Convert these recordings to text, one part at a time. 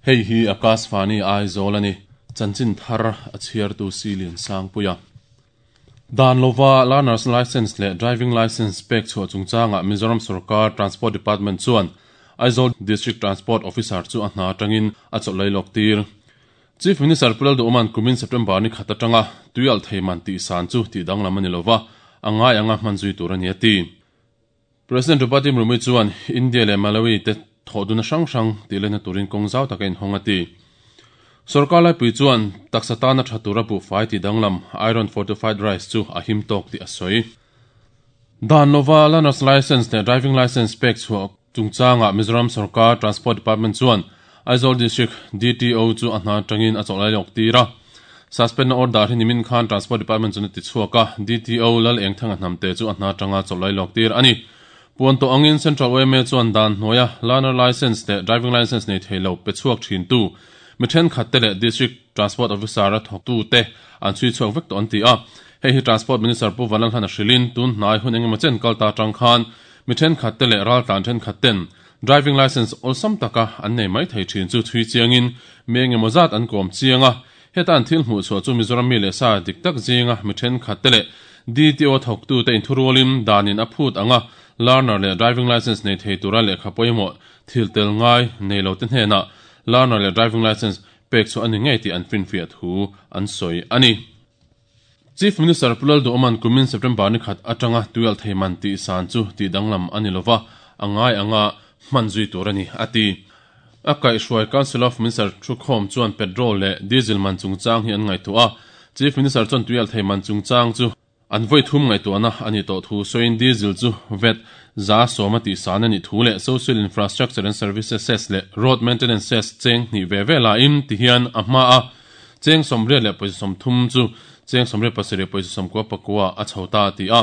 Hei hi Akashvani Aizawl a ni. Chanchin thar a chhiartu Silian Sangpuia. Dan lova Learner's Licence leh Driving Licence pek chhuah chungchangah Mizoram sorkar Transport Department chuan Aizawl District Transport Officer chu a hna atangin a chawlh lei lawk tir. Chief Minister Pu Lalduhawma'n kumin September ni khat atanga tuialh thei man tih san chu tih danglam a ni lova, a ngai anga hman zui tur a ni a ti. President Draupadi Murmu chuan India leh Malawi te thawhduna hrang hrang tih lehna turin kawng zau taka inhawng a ti. Sorkar laipui chuan taksa tana tha tura buhfai tih danglam Iron Fortified Rice chu a him tawk tih a sawi. Dan lova Learner's Licence leh Driving Licence pek chhuah chungchangah Mizoram sorkar Transport Department chuan Aizawl District DTO chu a hna atangin a chawlh lai lawk tir a. Suspend-na order hi nimin khan Transport Department chuan a ti chhuak a, DTO Lal Engthanga Hnamte chu a hna atanga chawlh lai lawk tir a ni. Puan tawh angin Central yma chuan dan hnuaia Learner Licence leh Driving Licence nei thei lo pe chhuak thintu mi thenkhatte leh District Transport Officer-a thawktute an chhui chhuak vek tawh an ti a. Hei hi Transport Minister Pu Vanlalhlana hrilhin tun hnai hun engemaw chen kal ta atang khan mi thenkhatte leh raltlan thenkhatten Driving licence awlsam taka an nei mai thei thin chu chhui chiangin mi engemaw zat an kawm chiang a, heta an thil hmuh chhuah chu Mizoram mi leh sa dik tak zinga mi thenkhat te leh DTO thawktute inthurualin danin a phut anga learner leh driving licence nei thei tura lehkha pawimawh thil tel ngai nei lo te hnenah learner leh driving licence pek chhuah a ni ngei tih an finfiah thu an sawi a ni. Chief Minister Pu Lalduhawma'n kumin September ni khat atanga tuialh thei man tih san chu tih danglam a ni lova, a ngai anga hman zui tur a ni, a ti. A kaihhruai Council of Minister thukhawm chuan petrol leh diesel man chungchang hi an ngaihtuah a, Chief Minister chuan tuialh thei man chungchang chu an vawi thum ngaihtuahna a nih tawh thu sawiin diesel chu vat 110 tih san a nih thu leh Social Infrastructure and Services Cess leh Road Maintenance Cess cheng hnih ve ve laiin tihian a hma a Cheng 80.30 chu cheng 87.99 a chho ta a ti a.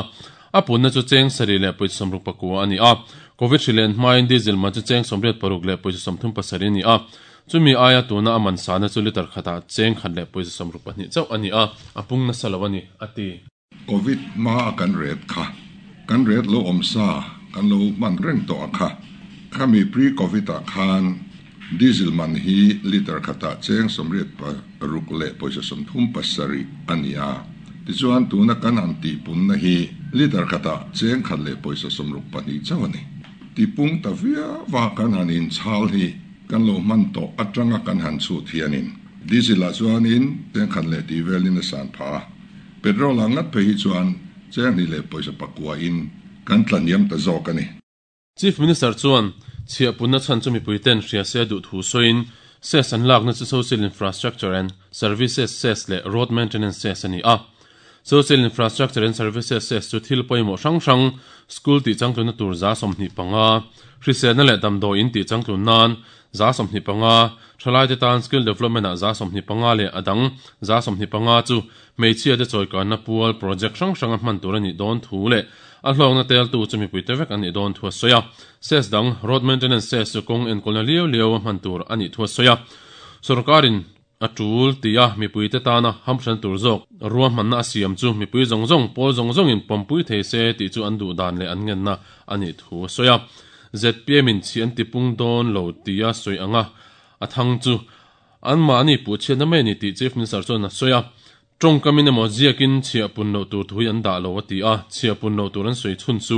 A punna chu cheng 7.69 a ni a. Covid hri len hmain diesel man chu cheng 86.37 a ni a. Chumi aia tuna a man sahna chu litre khatah cheng 1.62 chauh a ni a, a pung nasa lo a ni, a ti. Covid hma a kan ret kha, kan ret lo awm sa kan lo hman reng tawh a kha. Khami pre-Covid ah khan diesel man hi litre khatah cheng 86.37 a ni a. Tichuan tuna kan han tihpunna hi litre khatah cheng 1.62 chauh a ni. Tipung ta viau a kan han inchhal hi kan lo hman tawh atanga kan han chhut hianin diesel ah chuanin cheng khat leh tih velin a san phah a. Petrol ah ngat phei hi chuan cheng hnih leh pawisa pakua in kan tla hniam ta zawk a ni. Chief Minister chuan chhiahpunna chhan chu mipui ten hria se duh thu sawiin cess an lakna chu Social Infrastructure and Services Cess leh Road Maintenance Cess a ni a. Social Infrastructure and Services Cess chu thil pawimawh hrang hrang, school tih changtlunna tur 25%, hriselna leh damdawi in tih changtlun nan 25%, thalaite tan skill development ah 25% leh a dang 25% chu Hmeichhia te chawikanna pual project hrang hrang a hman tur a nih dawn thu leh a hlawkna teltu chu mipuite vek an nih dawn thu a sawi a. Cess dang, road maintenance cess chu kawng enkawlna liau liau a hman tur a nih thu a sawi a. Sorkarin a tul tia mipuite tana hamhran tur zawk ruahmanna a siam chu mipui zawng zawng, pawl zawng zawngin pawmpui thei se tih chu an duh dan leh an ngenna a nih thu a sawi a. Zpm in chhi an tipung dawn lo tia sawi anga a thang chu Anmahni puhchhiatna mai a ni tih Chief Minister chuan a sawi a. Tawngkamin emaw ziakin chhiah pun loh tur thu hi an dah lo a ti a, chhiah pun loh tur an sawi chhun chu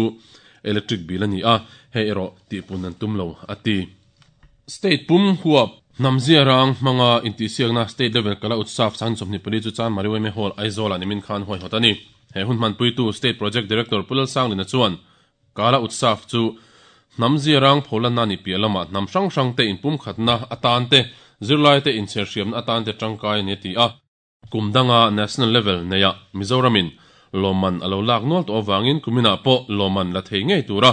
electric bill a ni a, hei erawh tihpun an tum lo a ti. State pum huap hnam zia rang hmanga intihsiakna State Level Kala Utsav 24 chu Chanmari Yma Hall, Aizawl-ah nimin khan huaihawt a ni. He hun hmanpuitu State Project Director Pu Lalsanglina chuan Kala Utsav chu hnam ziarang pholanna ni piah lamah hnam hrang hrangte inpumkhatna atan te, zirlaite inchherhriamna atan te tangkai a ni a ti a. Kum danga National Level neiah Mizoramin lawmman a lo lak nual tawh avangin kuminah pawh lawmman la thei ngei tura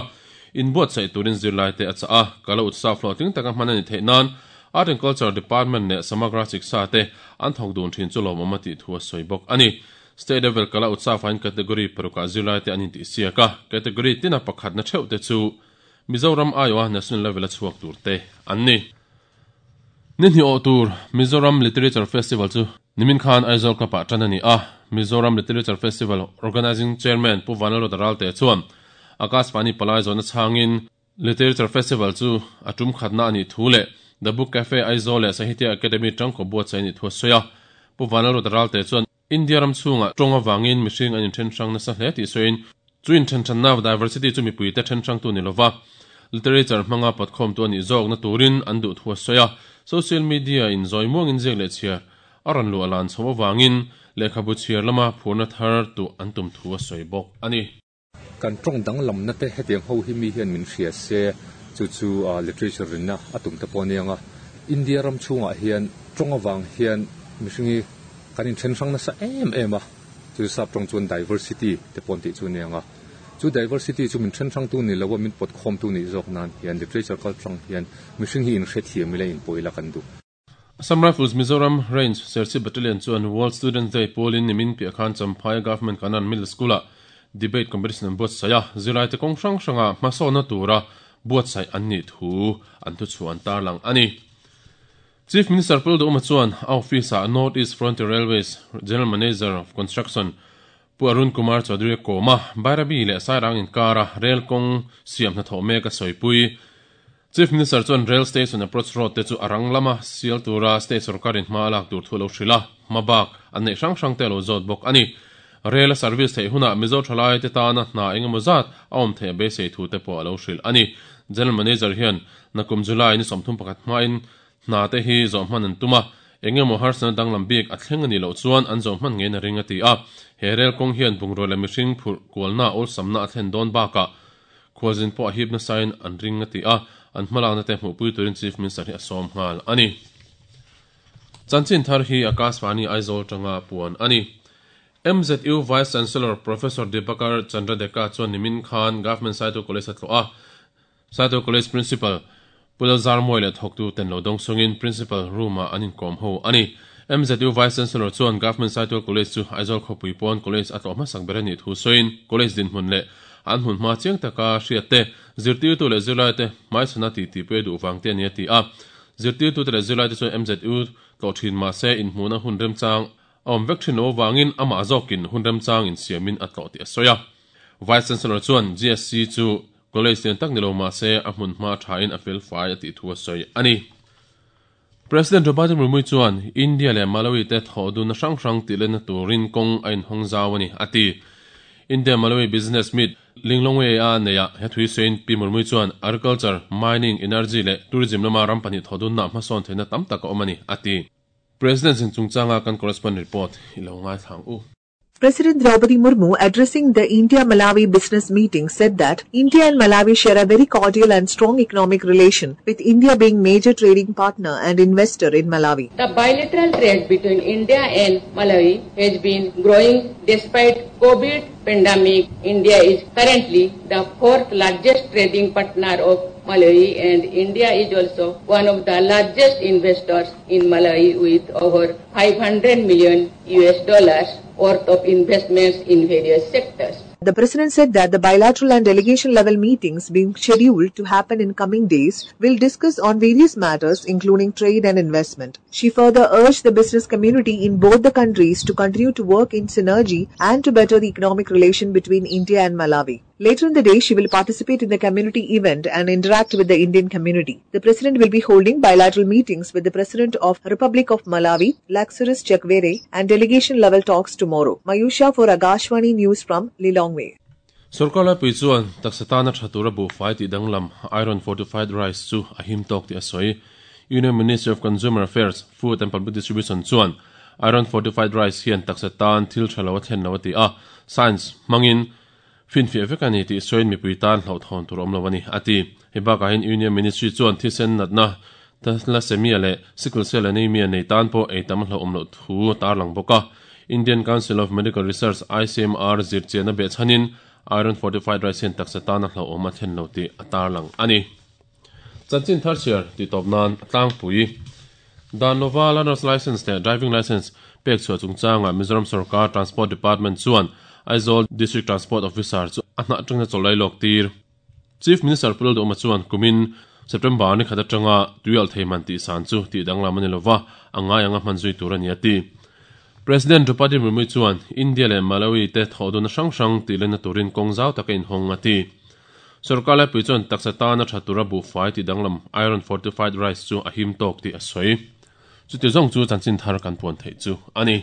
inbuatsaih turin zirlaite a chah a. Kala Utsav hlawhtling taka hman a ni theih nan Art and Culture Department leh Samagra Shiksha te an thawk dun thin chu lawmawm a tih thu a sawi bawk a ni. State level kala Utsav-ah category parukah zirlaite an intihsiak a, category tina pakhatna theuh te chu Mizoram aiawha national level-a chhuak tur te an ni. Ni hnih awh tur Mizoram Literature Festival chu nimin khan Aizawl Club-ah tan a ni a, Mizoram Literature Festival Organising Chairman Pu Vanlalruata Ralte chuan Akashvani Palai zawhna chhangin Literature Festival chu a tum khatna a nih thu leh The Book Cafe Aizawl leh Sahitya Akademi tangkaw buatsaih a nih thu a sawi a. Pu Vanlalruata Ralte chuan India ram chhungah tawng avangin mihring an inthen hrang nasa hle tih sawiin chu inthen hranna diversity chu mipuite then hrangtu ni lova literature hmanga pawtkhawmtu a nih zawkna turin an duh thu a sawi a. Social media in zawi muangin ziak leh chhiar a rawn luah lan chho avangin lehkhabu chhiar lama phurna thar tuh an tum thu a sawi bawk a ni. Kan tawng danglamna te hetiang ho hi mi hian min hria se, chu chu literature rinna a tum te pawh a nia nga. India ram chhungah hian tawng avang hian mihring hi kan inthen hrang nasa em em a, chu sap tawng chuan diversity te pawh an tih chu a nia nga. Chu diversity chu min then hrangtu ni lo a, min pawt khawmtu nih zawk nan hian literature kaltlang hian mihring hi inhrethiam ila inpawh ila kan duh. Assam Rifles Mizoram Range Serchhip Battalion chuan World Students Day pawlin nimin piah khan Champhai Government Kanan Middle School-ah Debate Competition an buatsaih a, zirlaite kawng hrang hranga hmasawnna tura buatsaih an nih thu an thuchhuah an tarlang a ni. Chief Minister Pu Lalduhoma chuan a office-ah North East Frontier Railways General Manager of Construction Pu Arun Kumar Chaudhary a kawm a, Bairabi leh Sairang inkara rel kawng siam hnathawh mek a sawipui. Chief Minister chuan Rail Station Approach Road te chu a rang lama sial tura State sawrkarin hma a lak tur thu a lo hrilh a, hma bak an neih hrang hrang te a lo zawt bawk a ni. Rail a service theih hunah Mizo thalai te tana hna engemaw zat a awm theih a beisei thu te pawh a lo hrilh a ni. General Manager hian nakum July ni 31 hmain Hna te hi zawh hman an tum a, eng emaw harsatna danglam bik a thleng a nih loh chuan an zawh hman ngeiin a ring a ti a. He rel kawng hian bungrua leh mihring phurh kualna awlsamna a thlen dawn bakah khualzin pawh a hip nasain an ring a ti a, an hmalakna te hmuhpui turin Chief Minister hi a sawm nghal a ni. Chanchin thar hi Akashvani Aizawl tanga puan a ni. MZU Vice Chancellor Professor Dibakar Chandra Deka chuan nimin khan Government Saitu College a tlawh a, Saito College Principal Pu Lalzarmawi leh thawktu ten lo dawng sungin Principal Room-ah an inkawm ho a ni. MZU Vice Chancellor chuan Government Saitual College chu Aizawl khawpui pawn College a tlawh hmasak ber a nih thu sawiin College dinhmun leh an hmun hma chiang taka hriat te, zirtirtu leh zirlaite hmaichhana tih tihpui a duh vang te a ni a ti a. Zirtirtute leh zirlaite chuan MZU tlawh thin mahse inhmuhna hun remchang a awm vek thin lo avangin amah zawkin hun remchang insiamin a tlawh tih a sawi a. Vice Chancellor chuan GSC chu College lian tak ni lo mah se a hmun hma thain a fel fai a tih thu a sawi a ni. President Draupadi Murmu chuan India leh Malawi te thawh dunna hrang hrang tih lenna turin kawng a inhawng zau a ni, a ti. India-Malawi Business Meet Linglongwe-a neihah he thui sawiin Pi Murmu chuan Agriculture, Mining, Energy leh Tourism lama ram pahnih thawh dunna hmasawn theihna tam tak a awm a ni, a ti. President zin chungchanga kan correspondent report i lo ngaithla ang u. President Draupadi Murmu, addressing the India-Malawi business meeting, said that India and Malawi share a very cordial and strong economic relation, with India being major trading partner and investor in Malawi. The bilateral trade between India and Malawi has been growing despite COVID pandemic. India is currently the fourth largest trading partner of Malawi and India is also one of the largest investors in Malawi with over 500 million US dollars worth of investments in various sectors. The president said that the bilateral and delegation level meetings being scheduled to happen in coming days will discuss on various matters including trade and investment. She further urged the business community in both the countries to continue to work in synergy and to better the economic relation between India and Malawi. Later in the day, she will participate in the community event and interact with the Indian community. The president will be holding bilateral meetings with the president of Republic of Malawi, Lazarus Chakwera, and delegation level talks tomorrow. Mayusha for Akashvani News from Lilongwe. Sorkar laipui chuan taksa tana tha tura buhfai tih danglam Iron Fortified Rice chu a him tawk tih a sawi. Union Ministry of Consumer Affairs, Food and Public Distribution chuan Iron Fortified Rice hian taksa tan thil tha lo a thlen lo a ti a, science hmangin Finfiah vek a ni tih sawiin mipui tan hlauhthawn tur awm lo a ni, a ti. Hei bakah hian Union Ministry chuan thisen natna, thalassemia leh sickle cell anaemia nei tan pawh ei tam a hlauhawm loh thu a tarlang bawk a. Indian Council of Medical Research, ICMR, zirchiahna behchhanin iron fortified rice hian taksa tan a hlauhawm a thlen lo tih a tarlang a ni. Chanchin thar chhiar tih tawp nan a tlangpui. Dan lova Learner's Licence leh Driving Licence pek chhuah chungchangah Mizoram Sorkar Transport Department chuan Aizawl District Transport Officer chu a hnah atangin a chawlh lawk tir. Chief Minister Pu Lalduhoma chuan kumin September ni khat atanga tuialh thei man tih san chu tih danglam a ni lova, a ngai anga hman zui tur a ni a ti. President Draupadi Murmu chuan India leh Malawi te thawhdunna hrang hrang tih lenna turin kawng zau taka inhawng a ti. Sorkar laipui chuan taksa tana tha tura buhfai tih danglam iron fortified rice chu a him tawk tih a sawi. Chuti zawng chu chanchin thar kan puan theih chu a ni.